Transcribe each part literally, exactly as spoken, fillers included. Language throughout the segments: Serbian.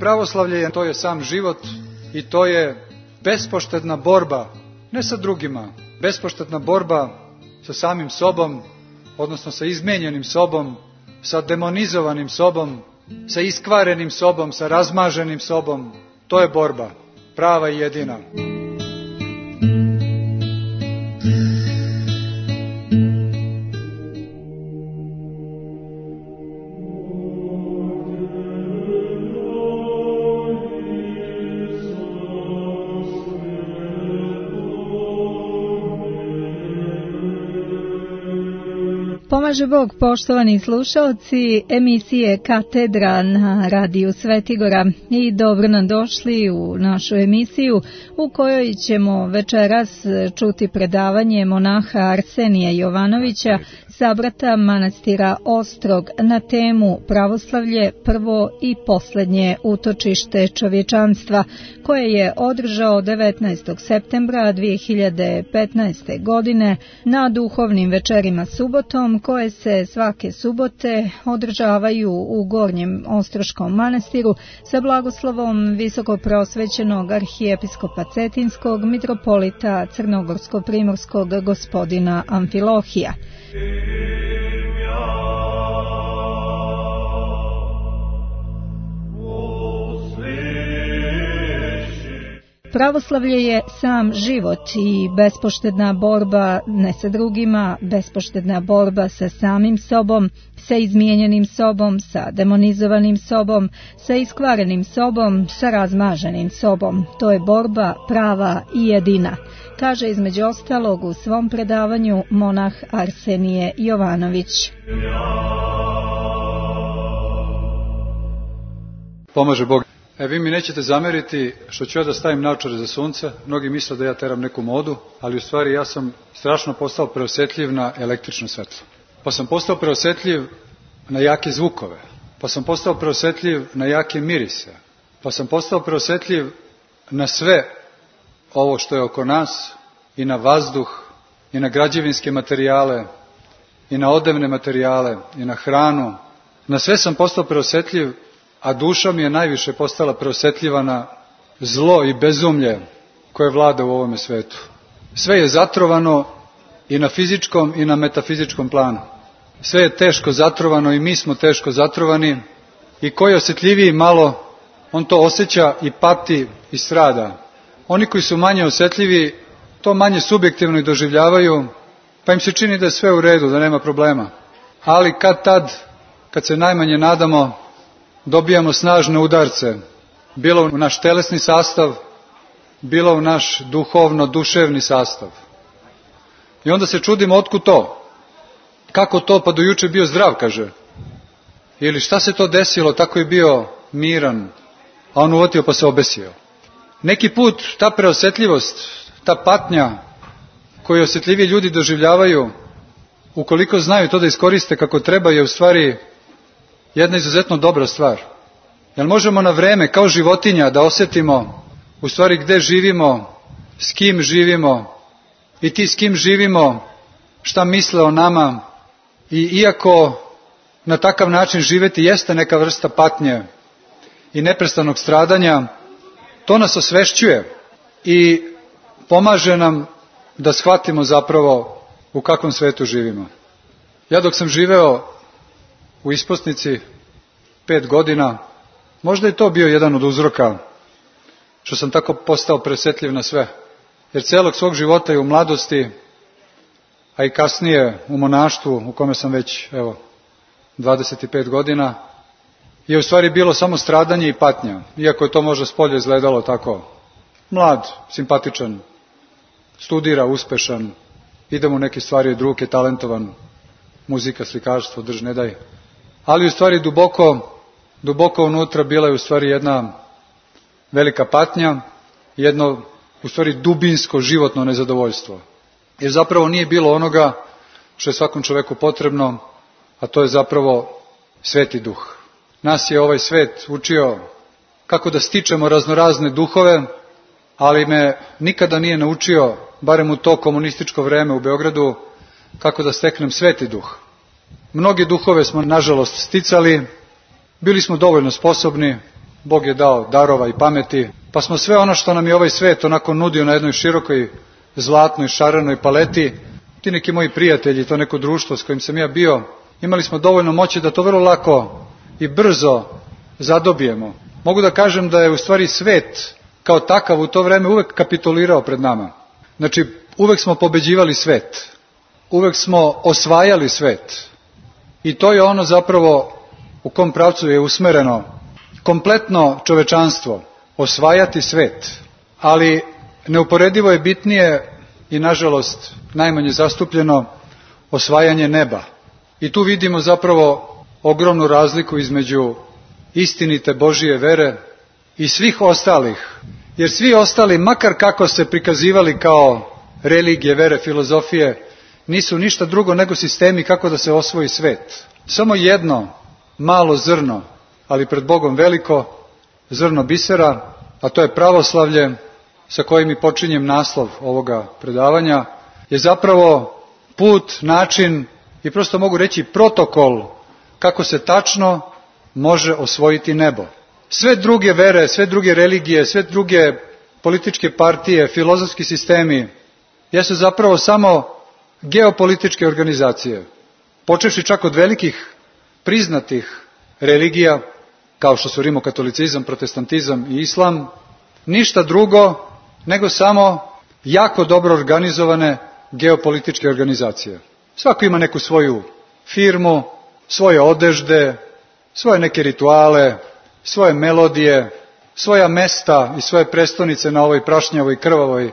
Pravoslavlje je, to je sam život i to je bespoštedna borba, ne sa drugima, bespoštedna borba sa samim sobom, odnosno sa izmijenjenim sobom, sa demonizovanim sobom, sa iskvarenim sobom, sa razmaženim sobom. To je borba, prava i jedina. Pomaže Bog, poštovani slušalci emisije Katedra na radiju Svetigora, i dobro nam došli u našu emisiju u kojoj ćemo večeras čuti predavanje monaha Arsenija Jovanovića, sabrata manastira Ostrog, na temu Pravoslavlje, prvo i posljednje utočište čovječanstva, koje je održao devetnaestog septembra dvije hiljade petnaeste. godine na duhovnim večerima subotom, koje se svake subote održavaju u Gornjem Ostroškom manastiru sa blagoslovom visokopreosvećenog arhijepiskopa Cetinskog mitropolita Crnogorsko-primorskog gospodina Amfilohija. Pravoslavlje je sam život i bespoštedna borba ne sa drugima, bespoštedna borba sa samim sobom, sa izmijenjenim sobom, sa demonizovanim sobom, sa iskvarenim sobom, sa razmaženim sobom. To je borba prava i jedina, kaže između ostalog u svom predavanju monah Arsenije Jovanović. Pomaže Bog. E, vi mi nećete zameriti što ću ja da stavim naočare za sunce. Mnogi misle da ja teram neku modu, ali u stvari ja sam strašno postao preosjetljiv na električno svetlo. Pa sam postao preosjetljiv na jake zvukove. Pa sam postao preosjetljiv na jake mirise. Pa sam postao preosjetljiv na sve ovo što je oko nas, i na vazduh, i na građevinske materijale, i na odevne materijale, i na hranu. Na sve sam postao preosjetljiv, a duša mi je najviše postala preosjetljiva na zlo i bezumlje koje vlada u ovome svetu. Sve je zatrovano i na fizičkom i na metafizičkom planu. Sve je teško zatrovano i mi smo teško zatrovani, i koji je osjetljiviji malo, on to osjeća i pati i strada. Oni koji su manje osjetljivi to manje subjektivno i doživljavaju, pa im se čini da je sve u redu, da nema problema. Ali kad tad, kad se najmanje nadamo, dobijamo snažne udarce, bilo u naš telesni sastav, bilo u naš duhovno-duševni sastav. I onda se čudimo otkud to. Kako to, pa do juče bio zdrav, kaže. Ili šta se to desilo, tako je bio miran, a on uvotio pa se obesio. Neki put ta preosjetljivost, ta patnja koju osjetljivi ljudi doživljavaju, ukoliko znaju to da iskoriste kako treba, je u stvari jedna izuzetno dobra stvar. Jer možemo na vreme, kao životinja, da osjetimo u stvari gde živimo, s kim živimo, i ti s kim živimo, šta misle o nama. I iako na takav način živeti jeste neka vrsta patnje i neprestanog stradanja, to nas osvešćuje i pomaže nam da shvatimo zapravo u kakvom svetu živimo. Ja dok sam živeo u isposnici pet godina, možda je to bio jedan od uzroka što sam tako postao presjetljiv na sve. Jer celog svog života i u mladosti, a i kasnije u monaštvu, u kome sam već, evo, dvadeset pet godina, je u stvari bilo samo stradanje i patnja. Iako je to možda spolje izgledalo tako. Mlad, simpatičan, studira, uspešan, ide mu neke stvari od ruke, talentovan, muzika, slikarstvo, drž ne daj. Ali u stvari duboko, duboko unutra bila je u stvari jedna velika patnja, jedno u stvari dubinsko životno nezadovoljstvo. Jer zapravo nije bilo onoga što je svakom čoveku potrebno, a to je zapravo Sveti Duh. Nas je ovaj svet učio kako da stičemo raznorazne duhove, ali me nikada nije naučio, barem u to komunističko vreme u Beogradu, kako da steknem Sveti Duh. Mnoge duhove smo nažalost sticali, bili smo dovoljno sposobni, Bog je dao darova i pameti, pa smo sve ono što nam je ovaj svet onako nudio na jednoj širokoj, zlatnoj, šarenoj paleti, ti neki moji prijatelji, to neko društvo s kojim sam ja bio, imali smo dovoljno moći da to vrlo lako i brzo zadobijemo. Mogu da kažem da je u stvari svet kao takav u to vreme uvek kapitulirao pred nama. Znači, uvek smo pobeđivali svet, uvek smo osvajali svet. I to je ono zapravo u kom pravcu je usmereno kompletno čovečanstvo, osvajati svet. Ali neuporedivo je bitnije i nažalost najmanje zastupljeno osvajanje neba. I tu vidimo zapravo ogromnu razliku između istinite Božije vere i svih ostalih. Jer svi ostali, makar kako se prikazivali kao religije, vere, filozofije, nisu ništa drugo nego sistemi kako da se osvoji svet. Samo jedno malo zrno, ali pred Bogom veliko, zrno bisera, a to je pravoslavlje, sa kojim i počinjem naslov ovoga predavanja, je zapravo put, način i prosto mogu reći protokol kako se tačno može osvojiti nebo. Sve druge vere, sve druge religije, sve druge političke partije, filozofski sistemi jesu zapravo samo geopolitičke organizacije. Počevši čak od velikih priznatih religija, kao što su rimokatolicizam, protestantizam i islam, ništa drugo nego samo jako dobro organizovane geopolitičke organizacije. Svako ima neku svoju firmu, svoje odežde, svoje neke rituale, svoje melodije, svoja mesta i svoje prestonice na ovoj prašnjavoj krvavoj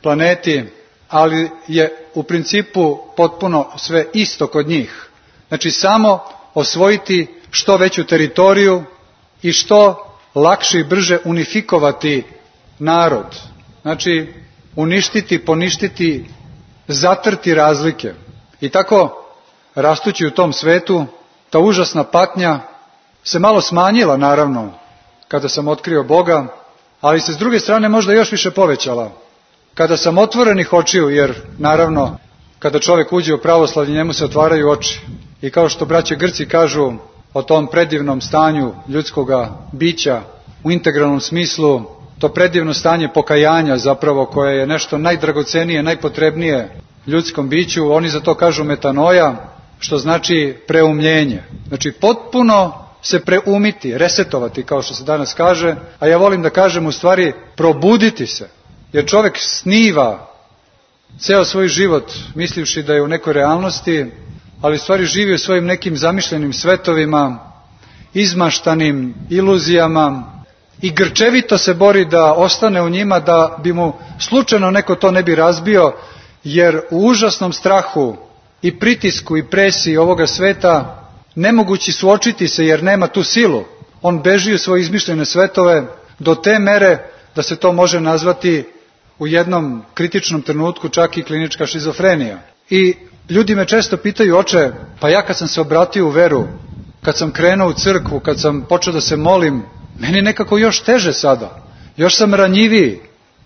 planeti, ali je u principu potpuno sve isto kod njih. Znači samo osvojiti što veću teritoriju i što lakše i brže unifikovati narod. Znači uništiti, poništiti, zatrti razlike. I tako, rastući u tom svetu, ta užasna patnja se malo smanjila, naravno, kada sam otkrio Boga, ali se s druge strane možda još više povećala. Kada sam otvorenih očiju, jer naravno, kada čovjek uđe u pravoslavlje, njemu se otvaraju oči. I kao što braće Grci kažu o tom predivnom stanju ljudskoga bića u integralnom smislu, to predivno stanje pokajanja zapravo koje je nešto najdragocenije, najpotrebnije ljudskom biću, oni za to kažu metanoja, što znači preumljenje. Znači potpuno se preumiti, resetovati kao što se danas kaže, a ja volim da kažem u stvari probuditi se, jer čovjek sniva ceo svoj život mislivši da je u nekoj realnosti, ali u stvari živi u svojim nekim zamišljenim svetovima, izmaštanim iluzijama i grčevito se bori da ostane u njima, da bi mu slučajno neko to ne bi razbio, jer u užasnom strahu i pritisku i presiji ovoga sveta nemogući suočiti se jer nema tu silu. On beži u svoje izmišljene svetove do te mere da se to može nazvati u jednom kritičnom trenutku čak i klinička šizofrenija. I ljudi me često pitaju, oče, pa ja kad sam se obratio u veru, kad sam krenuo u crkvu, kad sam počeo da se molim, meni nekako još teže sada, još sam ranjiviji,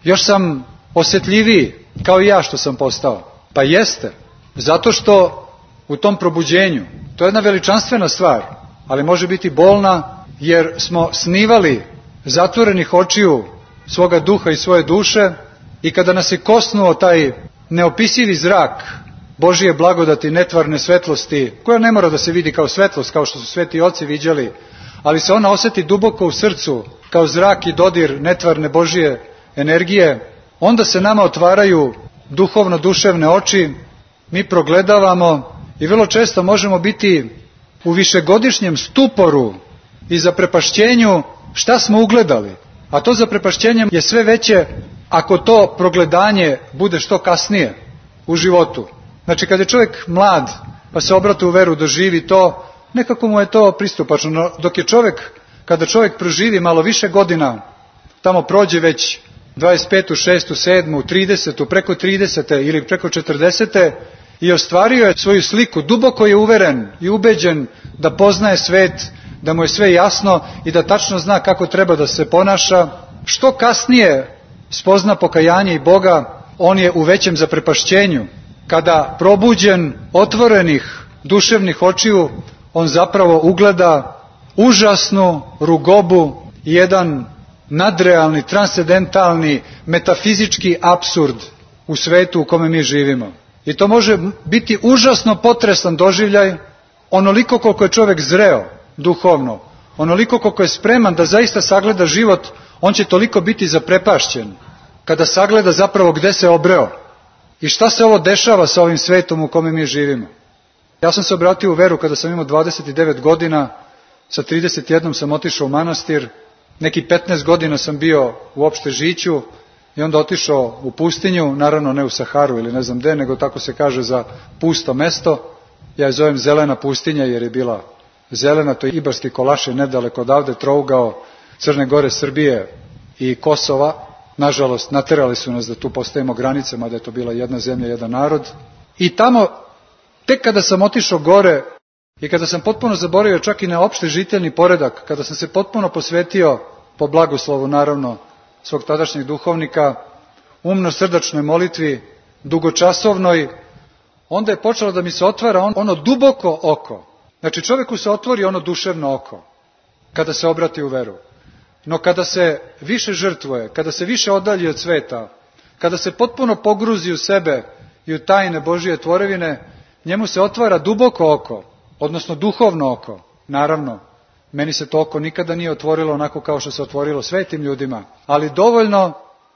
još sam osjetljiviji, kao i ja što sam postao. Pa jeste, zato što u tom probuđenju, to je jedna veličanstvena stvar, ali može biti bolna, jer smo snivali zatvorenih očiju svoga duha i svoje duše i kada nas je kosnuo taj neopisivi zrak Božije blagodati, netvarne svetlosti, koja ne mora da se vidi kao svetlost, kao što su sveti oci viđali, ali se ona osjeti duboko u srcu, kao zrak i dodir netvarne Božije energije, onda se nama otvaraju duhovno-duševne oči, mi progledavamo i vrlo često možemo biti u višegodišnjem stuporu i zaprepašćenju šta smo ugledali. A to zaprepašćenje je sve veće ako to progledanje bude što kasnije u životu. Znači kad je čovjek mlad pa se obrati u veru, doživi to, nekako mu je to pristupačno. No, dok je čovjek, kada čovjek proživi malo više godina, tamo prođe već dvadeset petu, šestu, sedmu, tridesetu, preko tridesete ili preko četrdesete i ostvario je svoju sliku, duboko je uveren i ubeđen da poznaje svet, da mu je sve jasno i da tačno zna kako treba da se ponaša. Što kasnije spozna pokajanje i Boga, on je u većem zaprepašćenju. Kada probuđen, otvorenih duševnih očiju, on zapravo ugleda užasnu rugobu i jedan nadrealni, transcendentalni, metafizički apsurd u svetu u kome mi živimo. I to može biti užasno potresan doživljaj, onoliko koliko je čovjek zreo duhovno, onoliko koliko je spreman da zaista sagleda život, on će toliko biti zaprepašćen kada sagleda zapravo gde se obreo i šta se ovo dešava sa ovim svetom u kome mi živimo. Ja sam se obratio u veru kada sam imao dvadeset devet godina, sa trideset jednom sam otišao u manastir, neki petnaest godina sam bio uopšte žiću i onda otišao u pustinju, naravno ne u Saharu ili ne znam gde, nego tako se kaže za pusto mesto. Ja je zovem zelena pustinja jer je bila zelena, to je Ibarski Kolašin nedaleko odavde, trougao Crne Gore, Srbije i Kosova. Nažalost, naterali su nas da tu postavimo granice, mada je to bila jedna zemlja, jedan narod. I tamo, tek kada sam otišao gore i kada sam potpuno zaboravio čak i na opšte žiteljni poredak, kada sam se potpuno posvetio, po blagoslovu naravno, svog tadašnjeg duhovnika, umno srdačnoj molitvi, dugočasovnoj, onda je počelo da mi se otvara ono duboko oko. Znači čovjeku se otvori ono duševno oko, kada se obrati u veru. No kada se više žrtvuje, kada se više odalji od sveta, kada se potpuno pogruzi u sebe i u tajne Božije tvorevine, njemu se otvara duboko oko, odnosno duhovno oko. Naravno, meni se to oko nikada nije otvorilo onako kao što se otvorilo svetim ljudima, ali dovoljno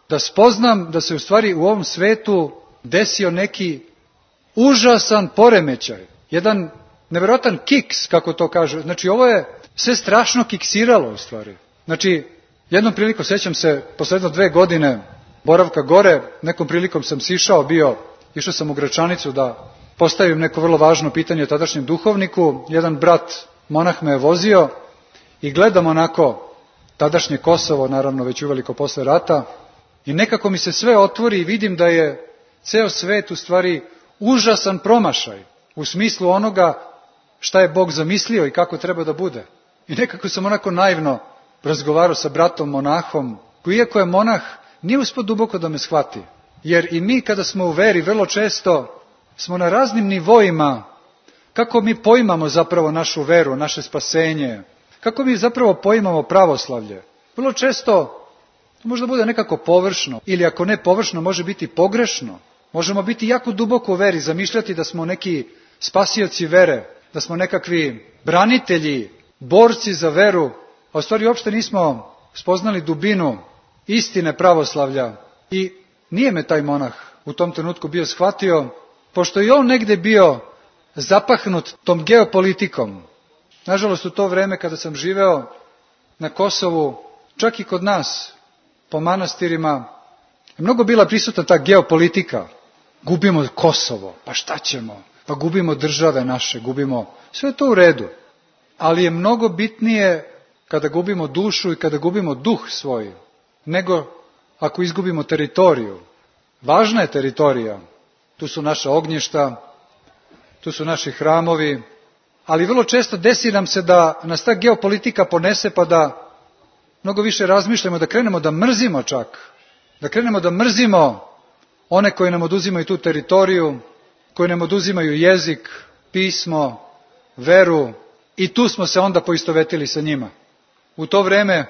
da spoznam da se u stvari u ovom svetu desio neki užasan poremećaj, jedan nevjerojatan kiks, kako to kažu. Znači ovo je sve strašno kiksiralo u stvari. Znači, jednom prilikom, sjećam se, posledno dve godine boravka gore, nekom prilikom sam sišao, bio, išao sam u Gračanicu da postavim neko vrlo važno pitanje tadašnjem duhovniku. Jedan brat, monah, me je vozio i gledam onako tadašnje Kosovo, naravno već uveliko posle rata, i nekako mi se sve otvori i vidim da je ceo svet u stvari užasan promašaj u smislu onoga šta je Bog zamislio i kako treba da bude. I nekako sam onako naivno razgovarao sa bratom monahom, koji iako je monah, nije uspio duboko da me shvati. Jer i mi kada smo u veri, vrlo često smo na raznim nivoima, kako mi poimamo zapravo našu veru, naše spasenje, kako mi zapravo poimamo pravoslavlje. Vrlo često to možda bude nekako površno, ili ako ne površno, može biti pogrešno. Možemo biti jako duboko u veri, zamišljati da smo neki spasioci vere, da smo nekakvi branitelji, borci za veru, a u stvari uopšte nismo spoznali dubinu istine pravoslavlja. I nije me taj monah u tom trenutku bio shvatio, pošto i on negde bio zapahnut tom geopolitikom. Nažalost, u to vreme kada sam živeo na Kosovu, čak i kod nas, po manastirima, je mnogo bila prisutna ta geopolitika. Gubimo Kosovo, pa šta ćemo? Pa gubimo države naše, gubimo... Sve je to u redu. Ali je mnogo bitnije kada gubimo dušu i kada gubimo duh svoj, nego ako izgubimo teritoriju. Važna je teritorija. Tu su naša ognjišta, tu su naši hramovi, ali vrlo često desi nam se da nas ta geopolitika ponese pa da mnogo više razmišljamo, da krenemo da mrzimo čak, da krenemo da mrzimo one koji nam oduzimaju tu teritoriju, koji nam oduzimaju jezik, pismo, veru, i tu smo se onda poistovetili sa njima. U to vreme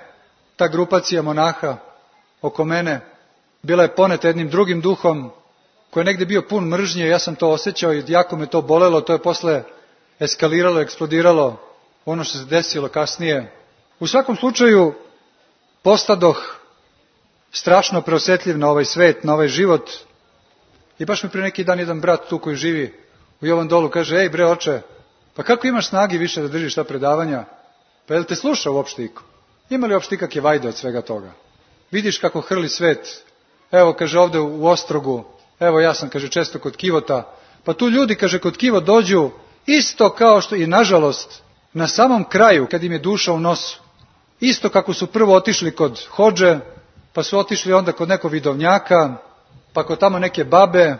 ta grupacija monaha oko mene bila je poneta jednim drugim duhom koji je negde bio pun mržnje, ja sam to osjećao i jako me to bolelo, to je posle eskaliralo, eksplodiralo ono što se desilo kasnije. U svakom slučaju postadoh strašno preosetljiv na ovaj svet, na ovaj život, i baš mi pre neki dan jedan brat tu koji živi u Jovan Dolu kaže: ej bre oče, pa kako imaš snagi više da držiš ta predavanja? Pa je li te sluša uopšte iko? Ima li uopšte ikakve vajde od svega toga? Vidiš kako hrli svet. Evo, kaže, ovde u Ostrogu, evo ja sam, kaže, često kod Kivota, pa tu ljudi, kaže, kod Kivot dođu isto kao što i nažalost na samom kraju, kad im je duša u nosu, isto kako su prvo otišli kod hodže, pa su otišli onda kod nekog vidovnjaka, pa kod tamo neke babe,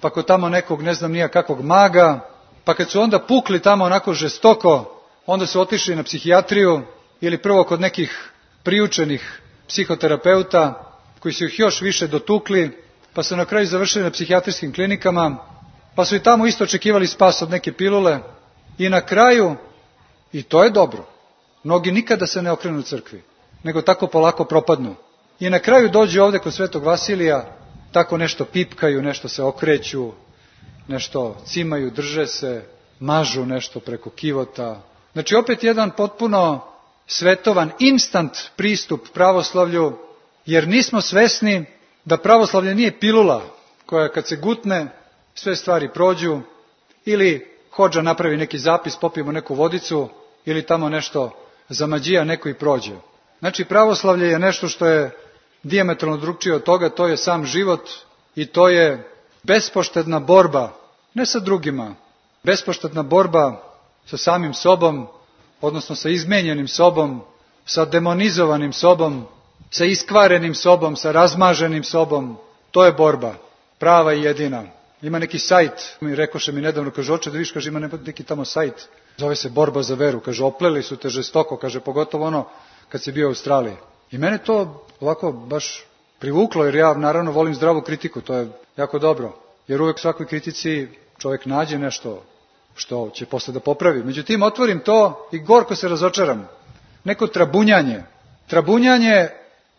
pa kod tamo nekog ne znam nija kakvog maga, pa kad su onda pukli tamo onako žestoko, onda su otišli na psihijatriju ili prvo kod nekih priučenih psihoterapeuta koji su ih još više dotukli, pa su na kraju završili na psihijatrijskim klinikama, pa su i tamo isto očekivali spas od neke pilule i na kraju, i to je dobro, mnogi nikada se ne okrenu crkvi, nego tako polako propadnu. I na kraju dođu ovde kod Svetog Vasilija, tako nešto pipkaju, nešto se okreću, nešto cimaju, drže se, mažu nešto preko kivota. Znači opet jedan potpuno svetovan, instant pristup pravoslavlju, jer nismo svesni da pravoslavlje nije pilula koja kad se gutne sve stvari prođu, ili hodža napravi neki zapis, popijemo neku vodicu, ili tamo nešto zamađija neko i prođe. Znači pravoslavlje je nešto što je dijametralno drukčije od toga, to je sam život i to je bespoštedna borba, ne sa drugima, bespoštedna borba sa samim sobom, odnosno sa izmenjenim sobom, sa demonizovanim sobom, sa iskvarenim sobom, sa razmaženim sobom. To je borba, prava i jedina. Ima neki sajt, mi rekoše mi nedavno, kaže, oče da viš, kaže, ima neki tamo sajt, zove se Borba za veru, kaže, opleli su te žestoko, kaže, pogotovo ono kad si bio u Australiji. I mene to ovako baš privuklo, jer ja naravno volim zdravu kritiku, to je jako dobro, jer uvek u svakoj kritici čovjek nađe nešto što će posle da popravi. Međutim, otvorim to i gorko se razočaram. Neko trabunjanje, trabunjanje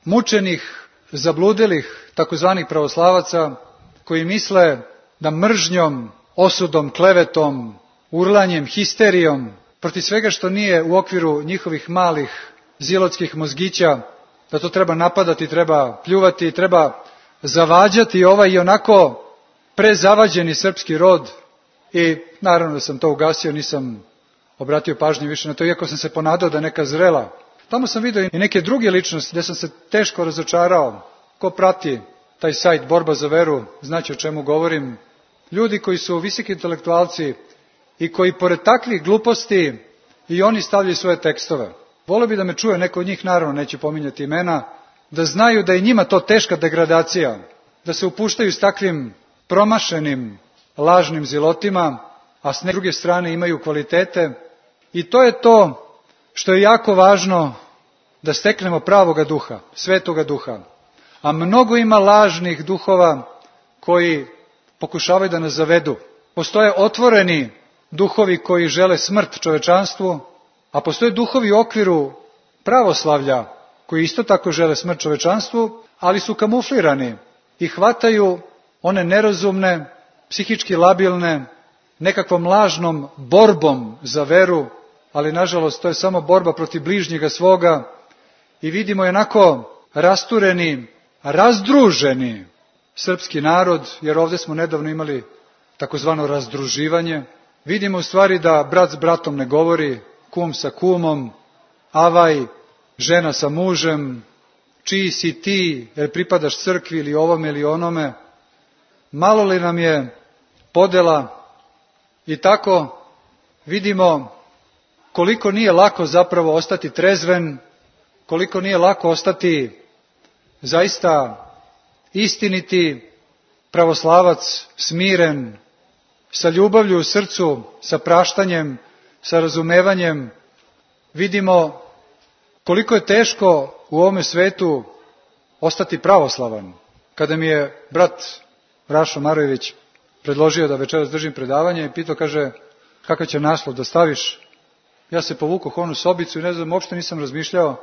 mučenih, zabludelih, takozvanih pravoslavaca, koji misle da mržnjom, osudom, klevetom, urlanjem, histerijom, protiv svega što nije u okviru njihovih malih zilotskih mozgića, da to treba napadati, treba pljuvati, treba zavađati ovaj i onako prezavađeni srpski rod. I naravno da sam to ugasio, nisam obratio pažnju više na to, iako sam se ponadao da neka zrela. Tamo sam vidio i neke druge ličnosti gde sam se teško razočarao. Ko prati taj sajt Borba za veru, znaće o čemu govorim. Ljudi koji su visoki intelektualci i koji pored takvih gluposti i oni stavljaju svoje tekstove. Voleo bi da me čuje neko od njih, naravno neću pominjati imena, da znaju da je njima to teška degradacija, da se upuštaju s takvim promašenim, lažnim zilotima, a s druge strane imaju kvalitete. I to je to što je jako važno da steknemo pravoga duha, svetoga duha. A mnogo ima lažnih duhova koji pokušavaju da nas zavedu. Postoje otvoreni duhovi koji žele smrt čovečanstvu, a postoje duhovi u okviru pravoslavlja koji isto tako žele smrt čovečanstvu, ali su kamuflirani i hvataju one nerazumne, psihički labilne, nekakvom lažnom borbom za veru, ali nažalost to je samo borba protiv bližnjega svoga i vidimo jednako rastureni, razdruženi srpski narod, jer ovdje smo nedavno imali takozvano razdruživanje. Vidimo u stvari da brat s bratom ne govori, kum sa kumom, avaj, žena sa mužem, čiji si ti, jer pripadaš crkvi ili ovome ili onome. Malo li nam je podela i tako vidimo koliko nije lako zapravo ostati trezven, koliko nije lako ostati zaista istiniti pravoslavac, smiren, sa ljubavlju u srcu, sa praštanjem, sa razumevanjem. Vidimo koliko je teško u ovome svetu ostati pravoslavan. Kada mi je brat Rašo Marojević predložio da večeras držim predavanje i pitao, kaže, kakav će naslov da staviš, ja se povukao onu sobicu i ne znam, uopšte nisam razmišljao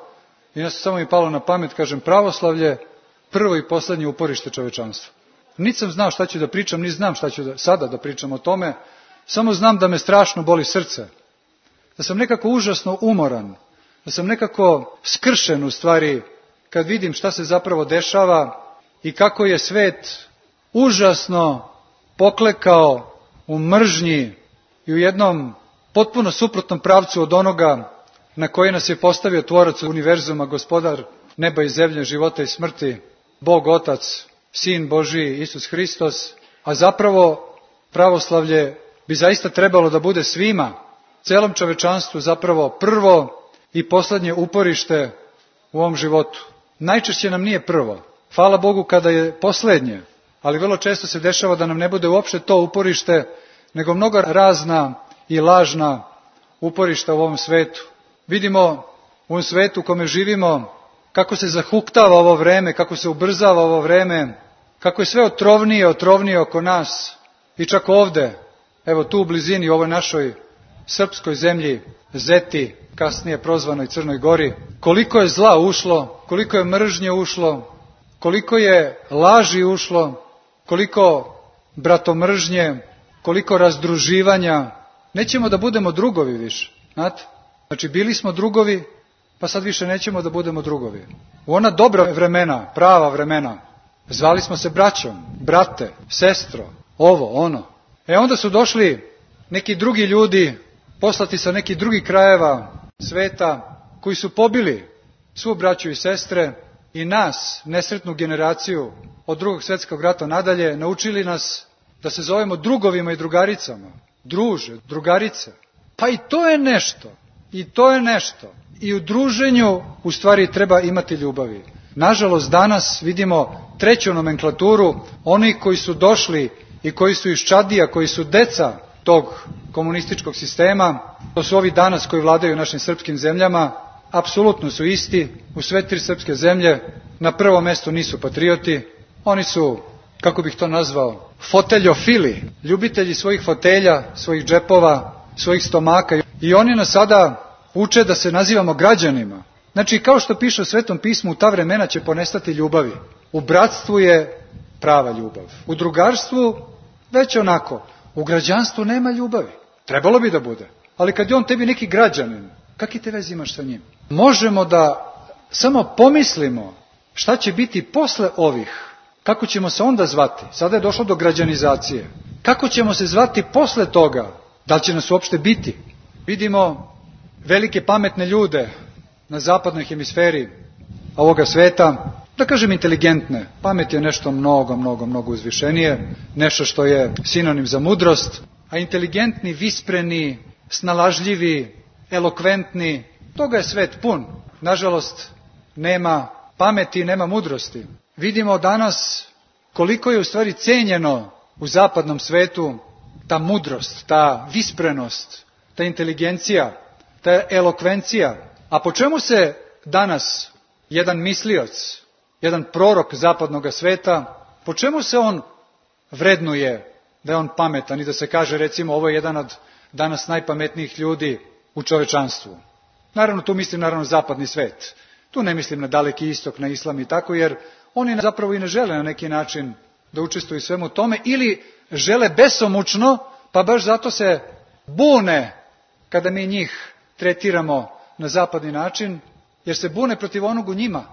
i ja samo mi palo na pamet, kažem, pravoslavlje, prvo i poslednje uporište čovečanstva. Niti sam znao šta ću da pričam, ni znam šta ću da, sada da pričam o tome, samo znam da me strašno boli srce, da sam nekako užasno umoran, da sam nekako skršen u stvari kad vidim šta se zapravo dešava i kako je svet užasno poklekao u mržnji i u jednom potpuno suprotnom pravcu od onoga na koji nas je postavio tvorac univerzuma, gospodar neba i zemlje, života i smrti, Bog Otac, Sin Božiji, Isus Hristos, a zapravo pravoslavlje bi zaista trebalo da bude svima, celom čovečanstvu zapravo prvo i poslednje uporište u ovom životu. Najčešće nam nije prvo, hvala Bogu kada je poslednje, ali vrlo često se dešava da nam ne bude uopšte to uporište, nego mnogo razna i lažna uporišta u ovom svetu. Vidimo u ovom svetu u kome živimo kako se zahuktava ovo vreme, kako se ubrzava ovo vreme, kako je sve otrovnije, otrovnije oko nas i čak ovde, evo tu u blizini, u ovoj našoj srpskoj zemlji Zeti, kasnije prozvanoj Crnoj Gori, koliko je zla ušlo, koliko je mržnje ušlo, koliko je laži ušlo, koliko bratomržnje, koliko razdruživanja. Nećemo da budemo drugovi više, znate? Znači, bili smo drugovi, pa sad više nećemo da budemo drugovi. U ona dobra vremena, prava vremena, zvali smo se braćom, brate, sestro, ovo, ono. E onda su došli neki drugi ljudi, poslati sa nekih drugih krajeva sveta, koji su pobili svu braću i sestre i nas, nesretnu generaciju od drugog svjetskog rata nadalje, naučili nas da se zovemo drugovima i drugaricama. Druže, drugarice. Pa i to je nešto. I to je nešto. I u druženju u stvari treba imati ljubavi. Nažalost, danas vidimo treću nomenklaturu, oni koji su došli i koji su iz Čadija, koji su deca tog komunističkog sistema, to su ovi danas koji vladaju našim srpskim zemljama, apsolutno su isti, u sve tri srpske zemlje, na prvom mjestu nisu patrioti, oni su, kako bih to nazvao, foteljofili, ljubitelji svojih fotelja, svojih džepova, svojih stomaka, i oni nas sada uče da se nazivamo građanima. Znači, kao što piše u Svetom pismu, u ta vremena će ponestati ljubavi. U bratstvu je prava ljubav. U drugarstvu već onako. U građanstvu nema ljubavi. Trebalo bi da bude. Ali kad je on tebi neki građanin, kakvi te veze imaš sa njim? Možemo da samo pomislimo šta će biti posle ovih. Kako ćemo se onda zvati? Sada je došlo do građanizacije. Kako ćemo se zvati posle toga? Da li će nas uopšte biti? Vidimo velike pametne ljude na zapadnoj hemisferi ovoga sveta, da kažem inteligentne. Pamet je nešto mnogo, mnogo, mnogo uzvišenije, nešto što je sinonim za mudrost, a inteligentni, vispreni, snalažljivi, elokventni, toga je svet pun. Nažalost, nema pameti, nema mudrosti. Vidimo danas koliko je u stvari cenjeno u zapadnom svetu ta mudrost, ta visprenost, ta inteligencija, ta elokvencija. A po čemu se danas jedan mislioc, jedan prorok zapadnog sveta, po čemu se on vrednuje da je on pametan i da se kaže, recimo, ovo je jedan od danas najpametnijih ljudi u čovečanstvu? Naravno, tu mislim naravno zapadni svet. Tu ne mislim na Daleki istok, na islam i tako, jer oni zapravo i ne žele na neki način da učestvuju svemu tome, ili žele besomučno, pa baš zato se bune kada mi njih tretiramo na zapadni način, jer se bune protiv onog u njima.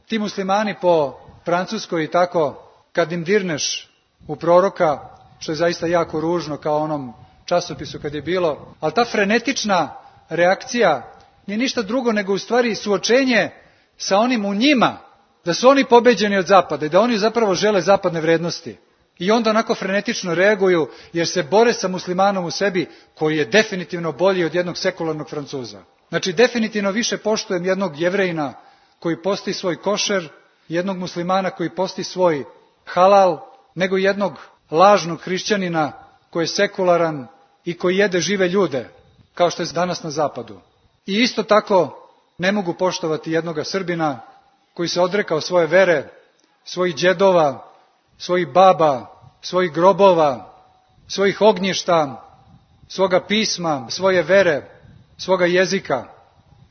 Ti muslimani po Francuskoj i tako, kad im dirneš u proroka, što je zaista jako ružno, kao onom časopisu kad je bilo, ali ta frenetična reakcija nije ništa drugo nego u stvari suočenje sa onim u njima, da su oni pobeđeni od zapada i da oni zapravo žele zapadne vrednosti. I onda onako frenetično reaguju jer se bore sa muslimanom u sebi, koji je definitivno bolji od jednog sekularnog Francuza. Znači, definitivno više poštujem jednog Jevrejina koji posti svoj košer, jednog muslimana koji posti svoj halal, nego jednog lažnog hrišćanina koji je sekularan i koji jede žive ljude, kao što je danas na zapadu. I isto tako ne mogu poštovati jednoga Srbina koji se odrekao svoje vere, svojih džedova, svojih baba, svojih grobova, svojih ognjišta, svoga pisma, svoje vere, svoga jezika.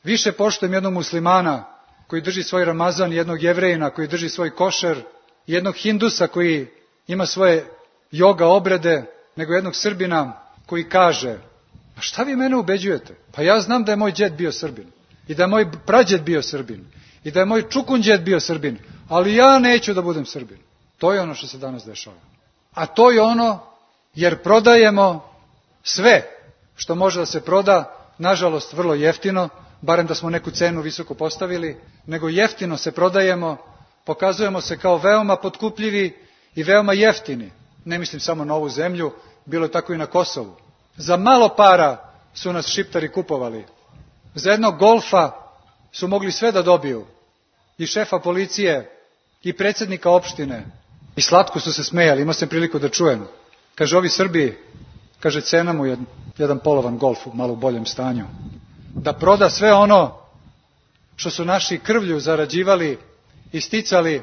Više poštujem jednog muslimana koji drži svoj Ramazan, jednog Jevrejina koji drži svoj košer, jednog Hindusa koji ima svoje joga obrede, nego jednog Srbina koji kaže: a šta vi mene ubeđujete? Pa ja znam da je moj džed bio Srbin i da je moj prađed bio Srbin i da je moj čukunđed bio Srbin, ali ja neću da budem Srbin. To je ono što se danas dešava. A to je ono jer prodajemo sve što može da se proda, nažalost vrlo jeftino, barem da smo neku cenu visoko postavili, nego jeftino se prodajemo, pokazujemo se kao veoma potkupljivi i veoma jeftini. Ne mislim samo na ovu zemlju, bilo je tako i na Kosovu. Za malo para su nas Šiptari kupovali. Za jednog golfa su mogli sve da dobiju. I šefa policije, i predsjednika opštine. I slatko su se smejali, imao sam priliku da čujem. Kaže, ovi Srbi, kaže, cena mu je jedan polovan golf u malo boljem stanju. Da proda sve ono što su naši krvlju zarađivali i sticali,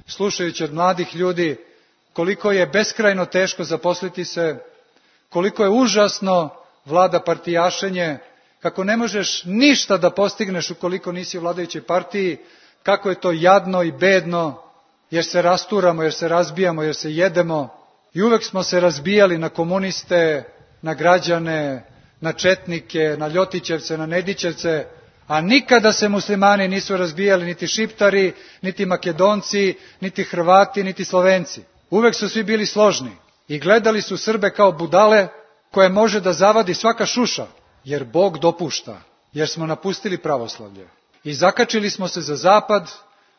slušajući od mladih ljudi koliko je beskrajno teško zaposliti se, koliko je užasno vlada partijašenje, kako ne možeš ništa da postigneš ukoliko nisi u vladajućoj partiji, kako je to jadno i bedno, jer se rasturamo, jer se razbijamo, jer se jedemo. I uvek smo se razbijali na komuniste, na građane, na četnike, na ljotićevce, na nedićevce, a nikada se muslimani nisu razbijali, niti šiptari, niti makedonci, niti Hrvati, niti Slovenci. Uvek su svi bili složni i gledali su Srbe kao budale koje može da zavadi svaka šuša, jer Bog dopušta, jer smo napustili pravoslavlje. I zakačili smo se za zapad,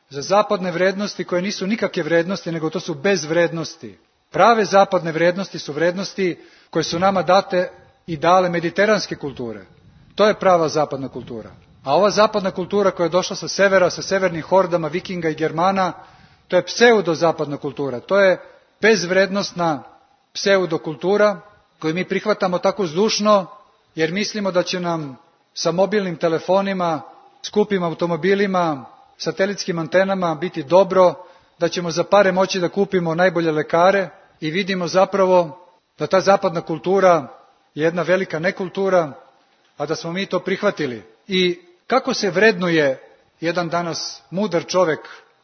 za zapadne vrednosti koje nisu nikakve vrednosti, nego to su bezvrednosti. Prave zapadne vrednosti su vrednosti koje su nama date i dale mediteranske kulture. To je prava zapadna kultura. A ova zapadna kultura koja je došla sa severa, sa severnim hordama Vikinga i Germana, to je pseudo-zapadna kultura. To je bezvrednostna pseudokultura koju mi prihvatamo tako zdušno, jer mislimo da će nam sa mobilnim telefonima, skupim automobilima, satelitskim antenama biti dobro, da ćemo za pare moći da kupimo najbolje lekare i vidimo zapravo da ta zapadna kultura je jedna velika nekultura, a da smo mi to prihvatili. I kako se vrednuje jedan danas mudar čovek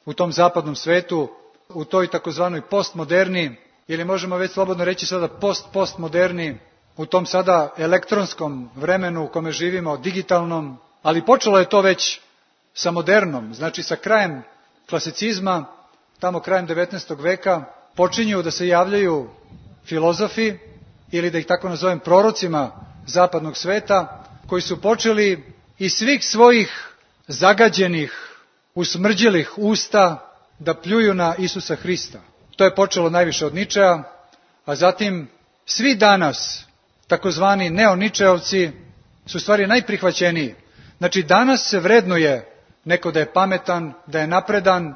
u tom zapadnom svetu, u toj takozvanoj postmoderni, ili možemo već slobodno reći sada post-postmoderni, u tom sada elektronskom vremenu u kome živimo, digitalnom, ali počelo je to već sa modernom, znači sa krajem klasicizma, tamo krajem devetnaestog veka, počinju da se javljaju filozofi, ili da ih tako nazovem prorocima zapadnog sveta, koji su počeli iz svih svojih zagađenih, usmrđelih usta da pljuju na Isusa Hrista. To je počelo najviše od Ničea, a zatim svi danas, takozvani neoničeovci, su stvari najprihvaćeniji. Znači danas se vrednuje neko da je pametan, da je napredan,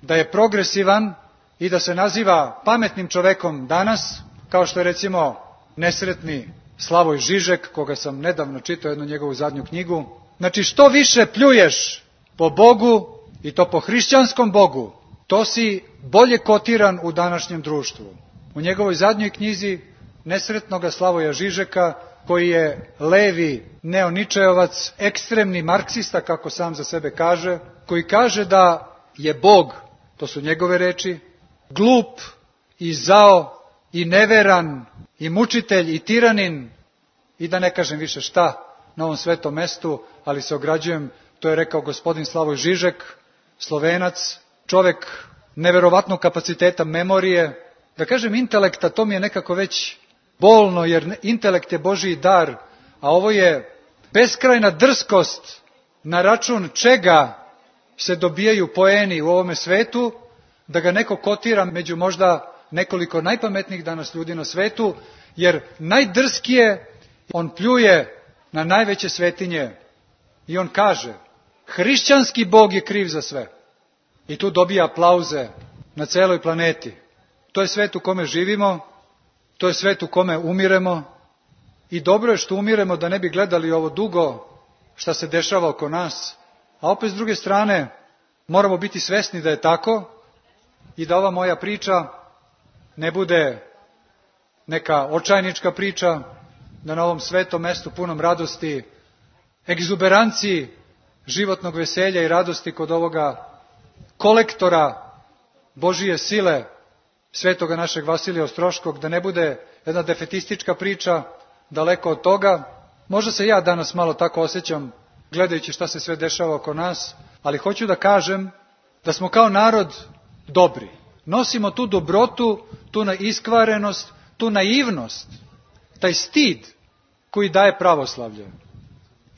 da je progresivan i da se naziva pametnim čovekom danas, kao što je recimo nesretni Slavoj Žižek, koga sam nedavno čitao jednu njegovu zadnju knjigu. Znači što više pljuješ po Bogu, i to po hrišćanskom Bogu, to si bolje kotiran u današnjem društvu. U njegovoj zadnjoj knjizi nesretnoga Slavoja Žižeka, koji je levi neoničeovac, ekstremni marksista, kako sam za sebe kaže, koji kaže da je Bog, to su njegove reči, glup i zao i neveran i mučitelj i tiranin i da ne kažem više šta na ovom svetom mestu, ali se ograđujem, to je rekao gospodin Slavoj Žižek, Slovenac, čovek neverovatnog kapaciteta memorije, da kažem intelekta, to mi je nekako već bolno, jer intelekt je Božji dar, a ovo je beskrajna drskost na račun čega se dobijaju poeni u ovome svetu, da ga neko kotira među možda nekoliko najpametnijih danas ljudi na svetu, jer najdrskije on pljuje na najveće svetinje i on kaže, hrišćanski Bog je kriv za sve. I tu dobija aplauze na celoj planeti. To je svet u kome živimo, to je svet u kome umiremo i dobro je što umiremo da ne bi gledali ovo dugo šta se dešava oko nas, a opet s druge strane moramo biti svesni da je tako i da ova moja priča ne bude neka očajnička priča, da na ovom svetom mestu punom radosti, egzuberanciji životnog veselja i radosti kod ovoga kolektora Božije sile, svetoga našeg Vasilija Ostroškog, da ne bude jedna defetistička priča, daleko od toga. Možda se ja danas malo tako osjećam, gledajući šta se sve dešava oko nas, ali hoću da kažem da smo kao narod dobri. Nosimo tu dobrotu, tu neiskvarenost, tu naivnost, taj stid koji daje pravoslavlje.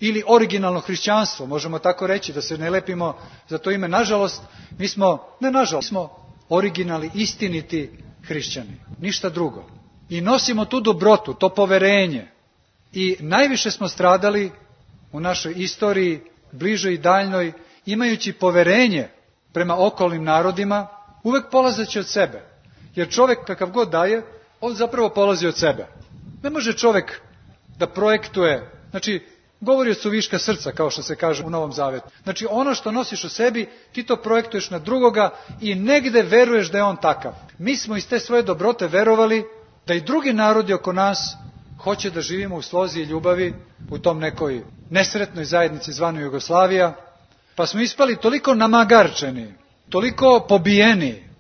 Ili originalno hrišćanstvo, možemo tako reći, da se ne lepimo za to ime. Nažalost, mi smo, ne nažalost, mi smo originalni, istiniti hrišćani, ništa drugo. I nosimo tu dobrotu, to poverenje. I najviše smo stradali u našoj istoriji, bližoj i daljnoj, imajući poverenje prema okolnim narodima, uvek polazeći od sebe. Jer čovek kakav god daje, on zapravo polazi od sebe. Ne može čovek da projektuje, znači, govori od suviška srca, kao što se kaže u Novom Zavetu. Znači, ono što nosiš u sebi, ti to projektuješ na drugoga i negde veruješ da je on takav. Mi smo iz te svoje dobrote verovali da i drugi narodi oko nas, hoće da živimo u slozi i ljubavi u tom nekoj nesretnoj zajednici zvanoj Jugoslavija, pa smo ispali toliko namagarčeni, toliko pobijeni,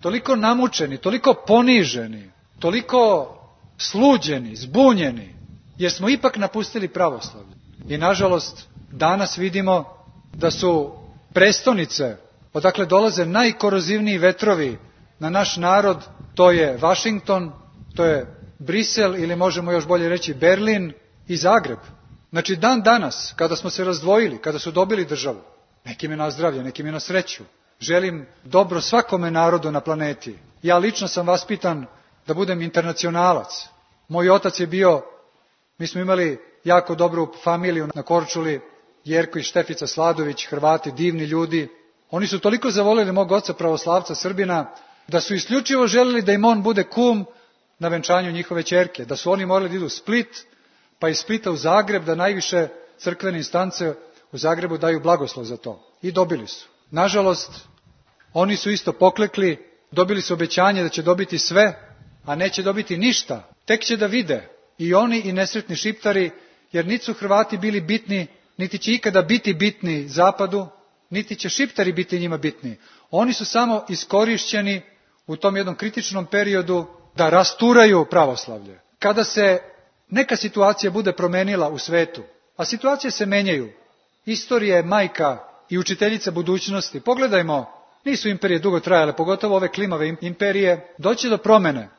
toliko namučeni, toliko poniženi, toliko sluđeni, zbunjeni, jer smo ipak napustili pravoslavlje. I nažalost, danas vidimo da su prestonice, odakle dolaze najkorozivniji vetrovi na naš narod, to je Vašington, to je Brisel ili možemo još bolje reći Berlin i Zagreb. Znači dan danas, kada smo se razdvojili, kada su dobili državu, nekim je na zdravlje, nekim je na sreću, želim dobro svakome narodu na planeti. Ja lično sam vaspitan da budem internacionalac. Moj otac je bio, mi smo imali jako dobru familiju na Korčuli, Jerko i Štefica Sladović, Hrvati, divni ljudi. Oni su toliko zavoljeli mog oca pravoslavca Srbina, da su isključivo želeli da im on bude kum na venčanju njihove ćerke, da su oni morali da idu u Split, pa iz Splita u Zagreb, da najviše crkvene instance u Zagrebu daju blagoslov za to. I dobili su. Nažalost, oni su isto poklekli, dobili su obećanje da će dobiti sve, a neće dobiti ništa. Tek će da vide i oni i nesretni Šiptari, jer niti su Hrvati bili bitni, niti će ikada biti bitni Zapadu, niti će Šiptari biti njima bitni. Oni su samo iskorišćeni u tom jednom kritičnom periodu da rasturaju pravoslavlje. Kada se neka situacija bude promenila u svetu, a situacije se menjaju, istorija je majka i učiteljica budućnosti. Pogledajmo, nisu imperije dugo trajale, pogotovo ove klimave imperije, doći do promene.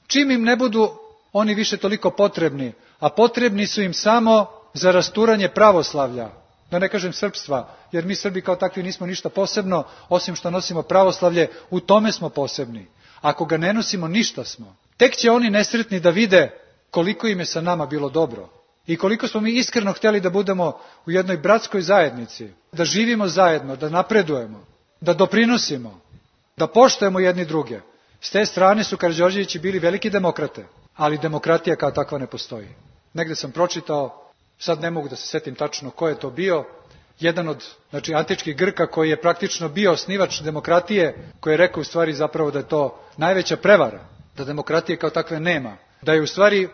Čim im ne budu oni više toliko potrebni, a potrebni su im samo za rasturanje pravoslavlja, da ne kažem srpstva, jer mi Srbi kao takvi nismo ništa posebno, osim što nosimo pravoslavlje, u tome smo posebni. Ako ga ne nosimo, ništa smo. Tek će oni nesretni da vide koliko im je sa nama bilo dobro i koliko smo mi iskreno htjeli da budemo u jednoj bratskoj zajednici, da živimo zajedno, da napredujemo, da doprinosimo, da poštujemo jedni druge. S te strane su Karađorđevići bili veliki demokrate, ali demokratija kao takva ne postoji. Negde sam pročitao, sad ne mogu da se setim tačno ko je to bio, jedan od znači, antičkih Grka koji je praktično bio osnivač demokratije, koji je rekao u stvari zapravo da je to najveća prevara, da demokratije kao takve nema, da je u stvari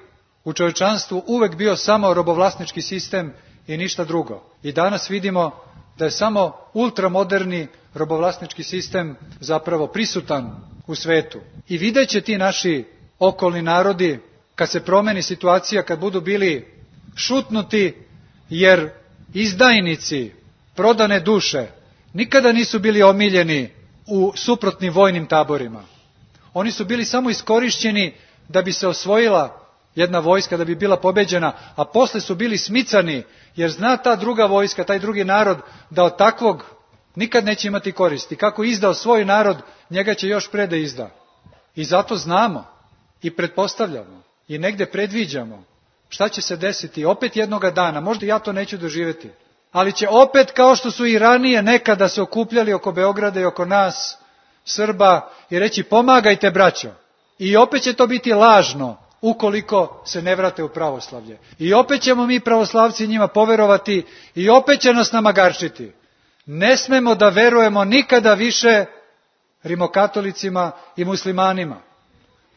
u čovječanstvu uvek bio samo robovlasnički sistem i ništa drugo. I danas vidimo da je samo ultramoderni robovlasnički sistem zapravo prisutan u svetu. I videće ti naši okolni narodi, kad se promeni situacija, kad budu bili šutnuti, jer izdajnici, prodane duše, nikada nisu bili omiljeni u suprotnim vojnim taborima. Oni su bili samo iskorišćeni da bi se osvojila jedna vojska, da bi bila pobeđena, a posle su bili smicani, jer zna ta druga vojska, taj drugi narod, da od takvog nikad neće imati koristi. Kako je izdao svoj narod, njega će još pre da izda. I zato znamo i pretpostavljamo i negde predviđamo šta će se desiti opet jednoga dana. Možda ja to neću doživjeti, ali će opet, kao što su i ranije nekada se okupljali oko Beograda i oko nas, Srba, i reći pomagajte braćo. I opet će to biti lažno ukoliko se ne vrate u pravoslavlje. I opet ćemo mi pravoslavci njima poverovati i opet će nas namagarčiti. Ne smemo da verujemo nikada više rimokatolicima i muslimanima.